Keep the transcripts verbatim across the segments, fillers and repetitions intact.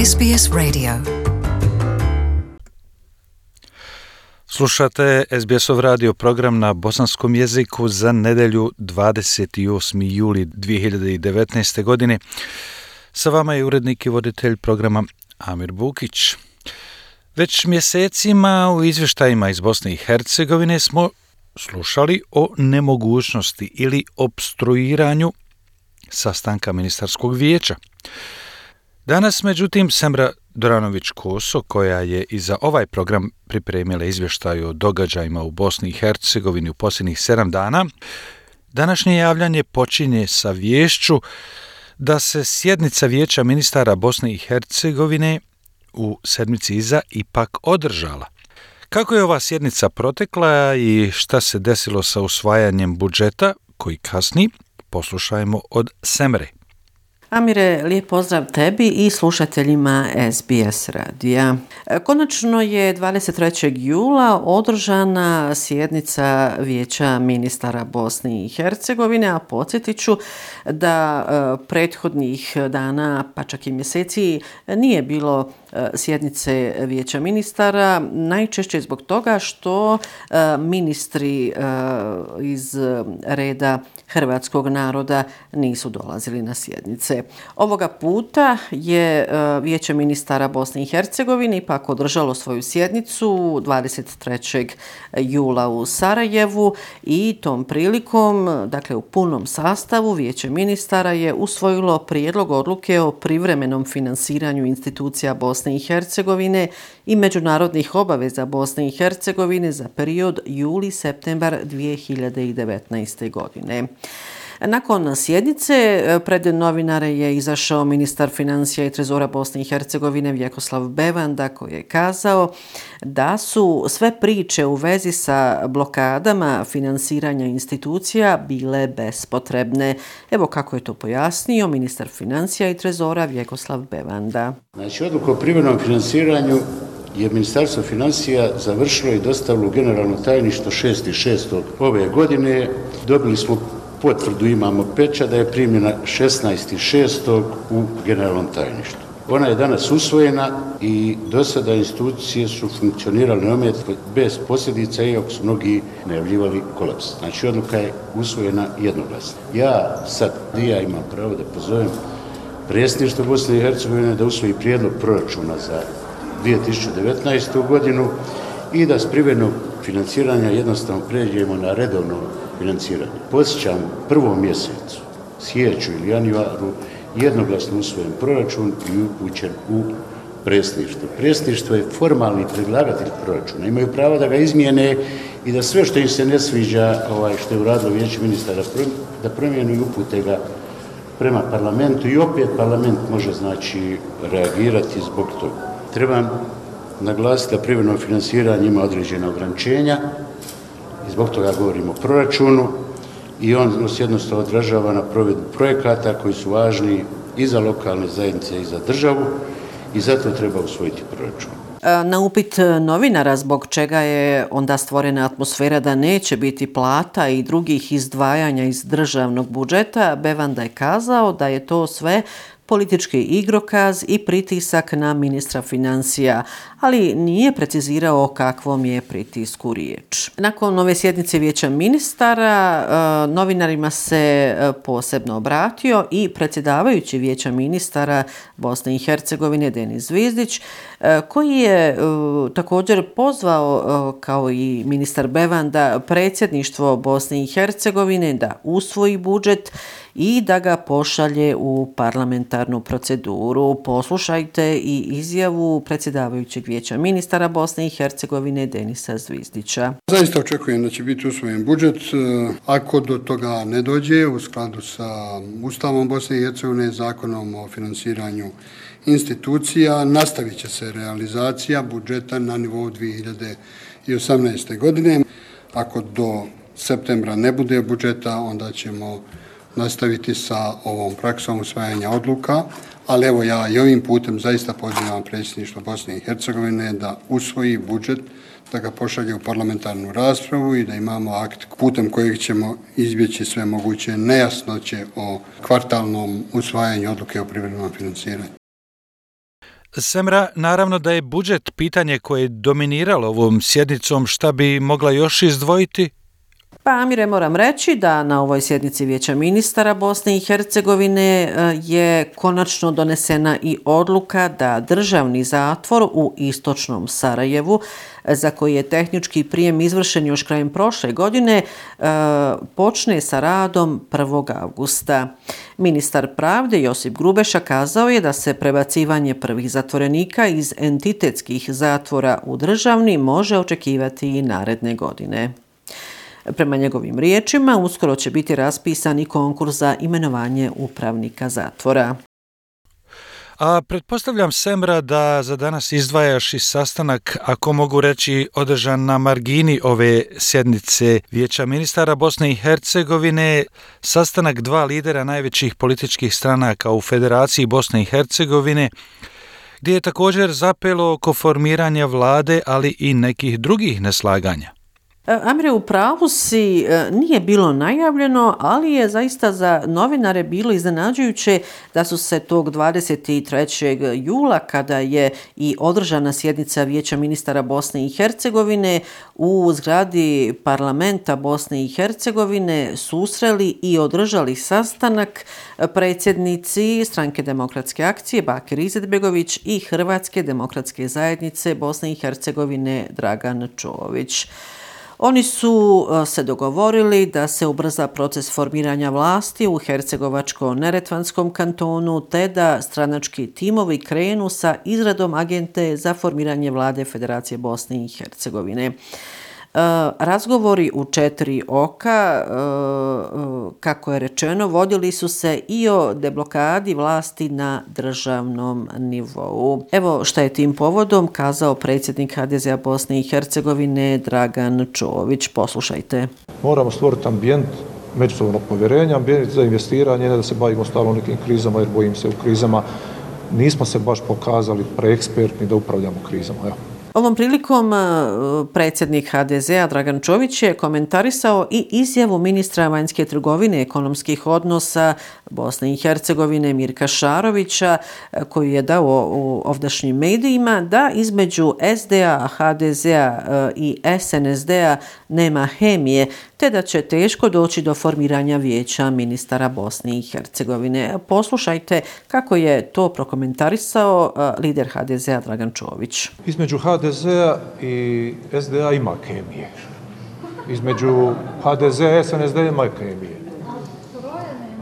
S B S Radio. Slušate S B S-ov radio program na bosanskom jeziku za nedjelju dvadeset osmi juli dvije hiljade devetnaeste. godine. Sa vama je urednik i voditelj programa Amir Bukić. Već mjesecima u izvještajima iz Bosne i Hercegovine smo slušali o nemogućnosti ili opstruiranju sastanka ministarskog vijeća. Danas, međutim, Semra Doranović-Koso, koja je i za ovaj program pripremila izvještaj o događajima u Bosni i Hercegovini u posljednjih sedam dana, današnje javljanje počinje sa viješću da se sjednica Vijeća ministara Bosne i Hercegovine u sedmici iza ipak održala. Kako je ova sjednica protekla i šta se desilo sa usvajanjem budžeta koji kasni, poslušajmo od Semre. Amire, lijep pozdrav tebi i slušateljima S B S radija. Konačno je dvadeset trećeg jula održana sjednica Vijeća ministara Bosne i Hercegovine, a podsjetit ću da e, prethodnih dana, pa čak i mjeseci, nije bilo e, sjednice Vijeća ministara, najčešće zbog toga što e, ministri e, iz reda hrvatskog naroda nisu dolazili na sjednice. Ovoga puta je Vijeće ministara Bosne i Hercegovine ipak održalo svoju sjednicu dvadeset trećeg jula u Sarajevu i tom prilikom, dakle u punom sastavu, Vijeće ministara je usvojilo prijedlog odluke o privremenom finansiranju institucija Bosne i Hercegovine i međunarodnih obaveza Bosne i Hercegovine za period juli-septembar dvije hiljade devetnaeste. godine. Nakon sjednice pred novinare je izašao ministar financija i trezora Bosne i Hercegovine Vjekoslav Bevanda, koji je kazao da su sve priče u vezi sa blokadama finansiranja institucija bile bespotrebne. Evo kako je to pojasnio ministar financija i trezora Vjekoslav Bevanda. Znači, odluku o privremenom finansiranju je Ministarstvo financija završilo i dostavilo u generalno tajništvo šestog šestog ove godine. Dobili smo potvrdu, imamo pečat da je primljena šesnaestog šestog u generalnom tajništvu. Ona je danas usvojena i do sada institucije su funkcionirale neometno bez posljedica, iako su mnogi najavljivali kolaps. Znači, odluka je usvojena jednoglasno. Ja sad, ja imam pravo da pozovem predsjedništvo Bosne i Hercegovine da usvoji prijedlog proračuna za dvije tisuće devetnaestu. godinu i da s privremenog financiranja jednostavno pređemo na redovno financiranje. Podsjećam, u prvom mjesecu, siječnju ili januaru, jednoglasno usvojen proračun i upućen u predsjedništvo. Predsjedništvo je formalni predlagatelj proračuna. Imaju pravo da ga izmijene i da sve što im se ne sviđa, ovaj, što je uradilo Vijeće ministara, da promijenu i upute ga prema parlamentu i opet parlament može, znači, reagirati zbog toga. Trebam naglasiti da privremeno financiranje ima određena ograničenja i zbog toga govorimo o proračunu i on nas jednostavno odražava na provedbu projekata koji su važni i za lokalne zajednice i za državu i zato treba usvojiti proračun. Na upit novinara zbog čega je onda stvorena atmosfera da neće biti plata i drugih izdvajanja iz državnog budžeta, Bevanda je kazao da je to sve politički igrokaz i pritisak na ministra financija, ali nije precizirao o kakvom je pritisku riječ. Nakon ove sjednice Vijeća ministara, novinarima se posebno obratio i predsjedavajući Vijeća ministara Bosne i Hercegovine Denis Zvizdić, koji je također pozvao, kao i ministar Bevanda, predsjedništvo Bosne i Hercegovine da usvoji budžet i da ga pošalje u parlamentarnu proceduru. Poslušajte i izjavu predsjedavajućeg Vijeća ministara Bosne i Hercegovine Denisa Zvizdića. Zaista očekujem da će biti usvojen budžet. Ako do toga ne dođe, u skladu sa Ustavom Bosne i Hercegovine, Zakonom o finansiranju institucija, nastavit će se realizacija budžeta na nivou dvije hiljade osamnaeste. godine. Ako do septembra ne bude budžeta, onda ćemo nastaviti sa ovom praksom usvajanja odluka, ali evo ja i ovim putem zaista pozivam predsjedništvo Bosne i Hercegovine da usvoji budžet, da ga pošalje u parlamentarnu raspravu i da imamo akt putem kojeg ćemo izbjeći sve moguće nejasnoće o kvartalnom usvajanju odluke o privremenom financiranju. Semra, naravno da je budžet pitanje koje je dominiralo ovom sjednicom, šta bi mogla još izdvojiti? Pa, Amire, moram reći da na ovoj sjednici Vijeća ministara Bosne i Hercegovine je konačno donesena i odluka da državni zatvor u istočnom Sarajevu, za koji je tehnički prijem izvršen još krajem prošle godine, počne sa radom prvog avgusta. Ministar pravde Josip Grubeša kazao je da se prebacivanje prvih zatvorenika iz entitetskih zatvora u državni može očekivati i naredne godine. Prema njegovim riječima, uskoro će biti raspisan i konkurs za imenovanje upravnika zatvora. A pretpostavljam, Semra, da za danas izdvajaš i sastanak, ako mogu reći, održan na margini ove sjednice Vijeća ministara Bosne i Hercegovine, sastanak dva lidera najvećih političkih stranaka u Federaciji Bosne i Hercegovine, gdje je također zapelo oko formiranja vlade, ali i nekih drugih neslaganja. Amire, u pravu si, nije bilo najavljeno, ali je zaista za novinare bilo iznenađujuće da su se tog dvadeset trećeg jula, kada je i održana sjednica Vijeća ministara Bosne i Hercegovine u zgradi parlamenta Bosne i Hercegovine, susreli i održali sastanak predsjednici Stranke demokratske akcije Bakir Izetbegović i Hrvatske demokratske zajednice Bosne i Hercegovine Dragan Čović. Oni su se dogovorili da se ubrza proces formiranja vlasti u Hercegovačko-Neretvanskom kantonu, te da stranački timovi krenu sa izradom agende za formiranje vlade Federacije Bosne i Hercegovine. Razgovori u četiri oka, kako je rečeno, vodili su se i o deblokadi vlasti na državnom nivou. Evo šta je tim povodom kazao predsjednik H D Z-a Bosne i Hercegovine Dragan Čović. Poslušajte. Moramo stvoriti ambijent međusobnog povjerenja, ambijent za investiranje, ne da se bavimo stalno nekim krizama, jer bojim se u krizama nismo se baš pokazali preekspertni da upravljamo krizama. Evo. Ovom prilikom predsjednik H D Z-a Dragan Čović je komentarisao i izjavu ministra vanjske trgovine i ekonomskih odnosa Bosne i Hercegovine Mirka Šarovića, koju je dao u ovdašnjim medijima, da između S D A, H D Z-a i S N S D-a nema hemije, te da će teško doći do formiranja Vijeća ministara Bosne i Hercegovine. Poslušajte kako je to prokomentarisao lider H D Z-a Dragan Čović. Između H D Z-a i S D A ima kemije. Između H D Z-a i S N S D-a ima kemije.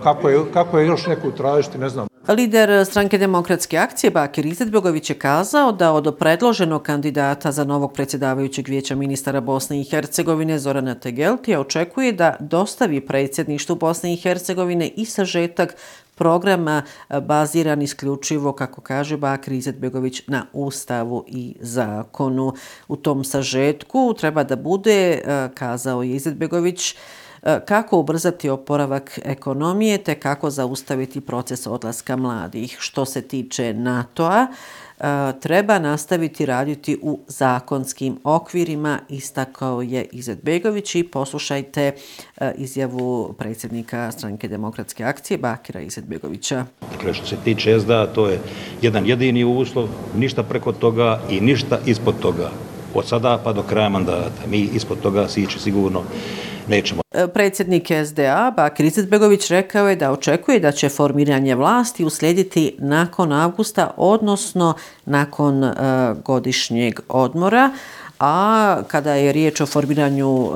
Kako je, kako je još neku tražiti, ne znam. Lider Stranke demokratske akcije Bakir Izetbegović je kazao da od predloženog kandidata za novog predsjedavajućeg Vijeća ministara Bosne i Hercegovine Zorana Tegeltija očekuje da dostavi predsjedništvu Bosne i Hercegovine i sažetak programa baziran isključivo, kako kaže Bakir Izetbegović, na Ustavu i zakonu. U tom sažetku treba da bude, kazao je Izetbegović, kako ubrzati oporavak ekonomije te kako zaustaviti proces odlaska mladih. Što se tiče NATO-a, treba nastaviti raditi u zakonskim okvirima, istakao je Izetbegović, i poslušajte izjavu predsjednika Stranke demokratske akcije Bakira Izetbegovića. Dakle, što se tiče S D A, to je jedan jedini uslov, ništa preko toga i ništa ispod toga. Od sada pa do kraja mandata. Mi ispod toga sići sigurno nećemo. Predsjednik S D A Bakir Izetbegović rekao je da očekuje da će formiranje vlasti uslijediti nakon avgusta, odnosno nakon uh, godišnjeg odmora. A kada je riječ o formiranju uh,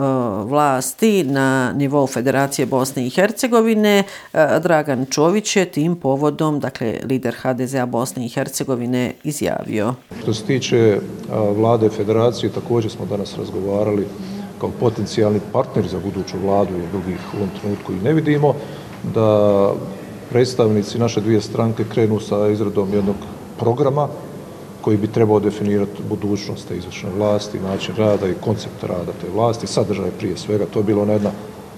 vlasti na nivou Federacije Bosne i Hercegovine, uh, Dragan Čović je tim povodom, dakle lider H D Z-a Bosne i Hercegovine, izjavio. Što se tiče uh, vlade Federacije, također smo danas razgovarali kao potencijalni partneri za buduću vladu, jer drugih u ovom trenutku i ne vidimo, da predstavnici naše dvije stranke krenu sa izradom jednog programa koji bi trebao definirati budućnost te izvršne vlasti, način rada i koncept rada te vlasti, sadržaj prije svega. To je bila jedna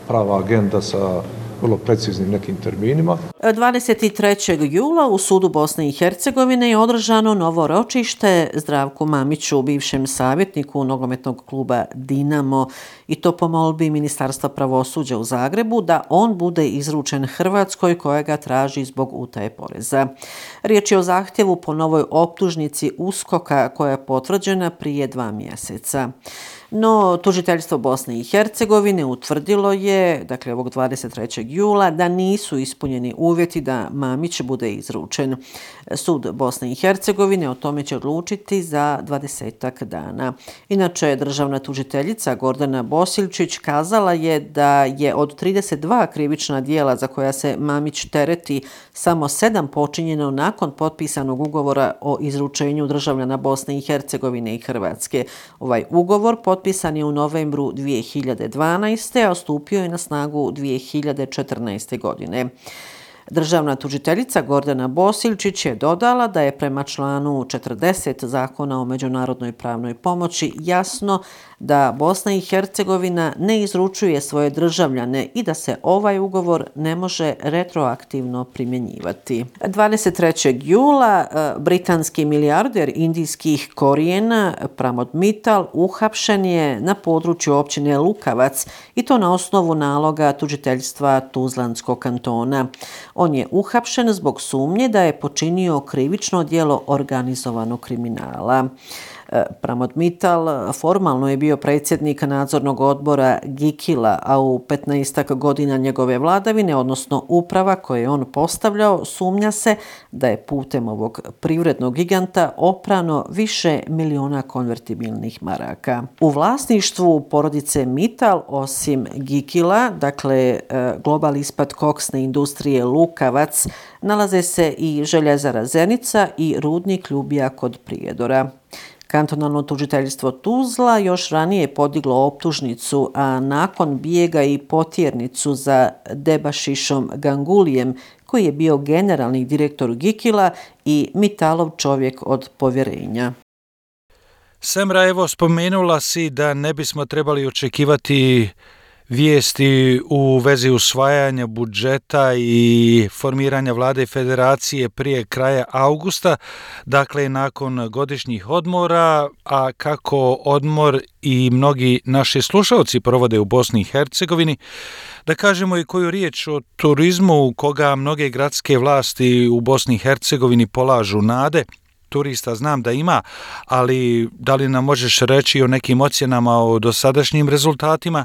prava agenda sa vrlo preciznim nekim terminima. dvadeset trećeg jula u sudu Bosne i Hercegovine je održano novo ročište Zdravku Mamiću, bivšem savjetniku nogometnog kluba Dinamo, i to po molbi Ministarstva pravosuđa u Zagrebu da on bude izručen Hrvatskoj koja ga traži zbog utaje poreza. Riječ je o zahtjevu po novoj optužnici uskoka koja je potvrđena prije dva mjeseca. No, tužiteljstvo Bosne i Hercegovine utvrdilo je, dakle ovog dvadeset trećeg jula, da nisu ispunjeni uvjeti da Mamić bude izručen. Sud Bosne i Hercegovine o tome će odlučiti za dvadesetak dana. Inače, državna tužiteljica Gordana Bosiljčić kazala je da je od trideset dva krivična djela za koja se Mamić tereti samo sedam počinjeno nakon potpisanog ugovora o izručenju državljana Bosne i Hercegovine i Hrvatske. Ovaj ugovor potpisan je u novembru dvije hiljade dvanaeste. a stupio je na snagu dvije hiljade četrnaeste. godine. Državna tužiteljica Gordana Bosiljčić je dodala da je prema članu četrdeset Zakona o međunarodnoj pravnoj pomoći jasno da Bosna i Hercegovina ne izručuje svoje državljane i da se ovaj ugovor ne može retroaktivno primjenjivati. dvadeset trećeg jula britanski milijarder indijskih korijena Pramod Mittal uhapšen je na području općine Lukavac i to na osnovu naloga tužiteljstva Tuzlanskog kantona. On je uhapšen zbog sumnje da je počinio krivično djelo organizovanog kriminala. Pramod Mittal formalno je bio predsjednik nadzornog odbora Gikila, a u petnaestak godina njegove vladavine, odnosno uprava koje je on postavljao, sumnja se da je putem ovog privrednog giganta oprano više miliona konvertibilnih maraka. U vlasništvu porodice Mittal, osim Gikila, dakle Global Ispat koksne industrije Lukavac, nalaze se i željezara Zenica i rudnik Ljubija kod Prijedora. Kantonalno tužiteljstvo Tuzla još ranije je podiglo optužnicu, a nakon bijega i potjernicu za Debašišom Gangulijem, koji je bio generalni direktor Gikila i Mittalov čovjek od povjerenja. Semra, evo, spomenula si da ne bismo trebali očekivati vijesti u vezi usvajanja budžeta i formiranja vlade federacije prije kraja augusta, dakle nakon godišnjih odmora, a kako odmor i mnogi naši slušalci provode u Bosni i Hercegovini, da kažemo i koju riječ o turizmu koga mnoge gradske vlasti u Bosni i Hercegovini polažu nade. Turista znam da ima, ali da li nam možeš reći o nekim ocjenama o dosadašnjim rezultatima?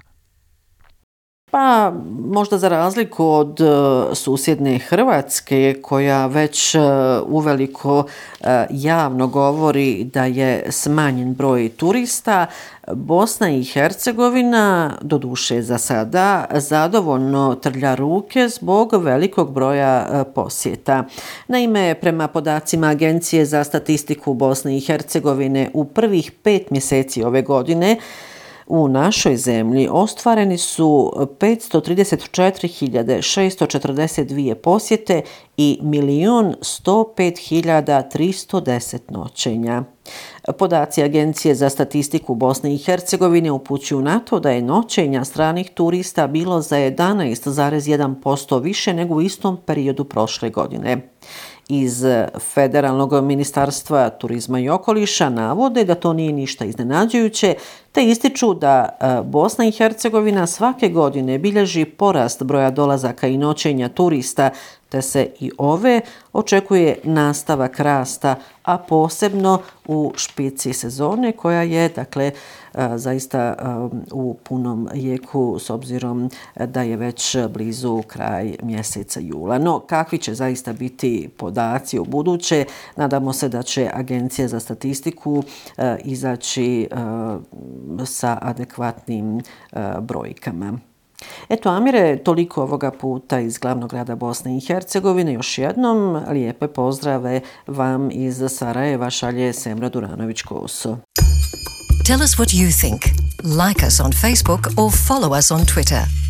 Pa možda za razliku od uh, susjedne Hrvatske koja već uh, uveliko uh, javno govori da je smanjen broj turista, Bosna i Hercegovina, doduše za sada, zadovoljno trlja ruke zbog velikog broja uh, posjeta. Naime, prema podacima Agencije za statistiku Bosne i Hercegovine u prvih pet mjeseci ove godine u našoj zemlji ostvareni su petsto trideset četiri hiljade šesto četrdeset dvije posjete i milion sto pet hiljada tristo deset noćenja. Podaci Agencije za statistiku Bosne i Hercegovine upućuju na to da je noćenja stranih turista bilo za jedanaest zarez jedan posto više nego u istom periodu prošle godine. Iz Federalnog ministarstva turizma i okoliša navode da to nije ništa iznenađujuće, te ističu da Bosna i Hercegovina svake godine bilježi porast broja dolazaka i noćenja turista, te se i ove očekuje nastavak rasta, a posebno u špici sezone koja je dakle zaista u punom jeku s obzirom da je već blizu kraj mjeseca jula. No, kakvi će zaista biti podaci u buduće? Nadamo se da će Agencija za statistiku izaći sa adekvatnim brojkama. Eto, Amire, toliko ovoga puta iz glavnog grada Bosne i Hercegovine. Još jednom lijepe pozdrave vam iz Sarajeva šalje Semra Duranović-Koso. Tell us what you think. Like us on Facebook or follow us on Twitter.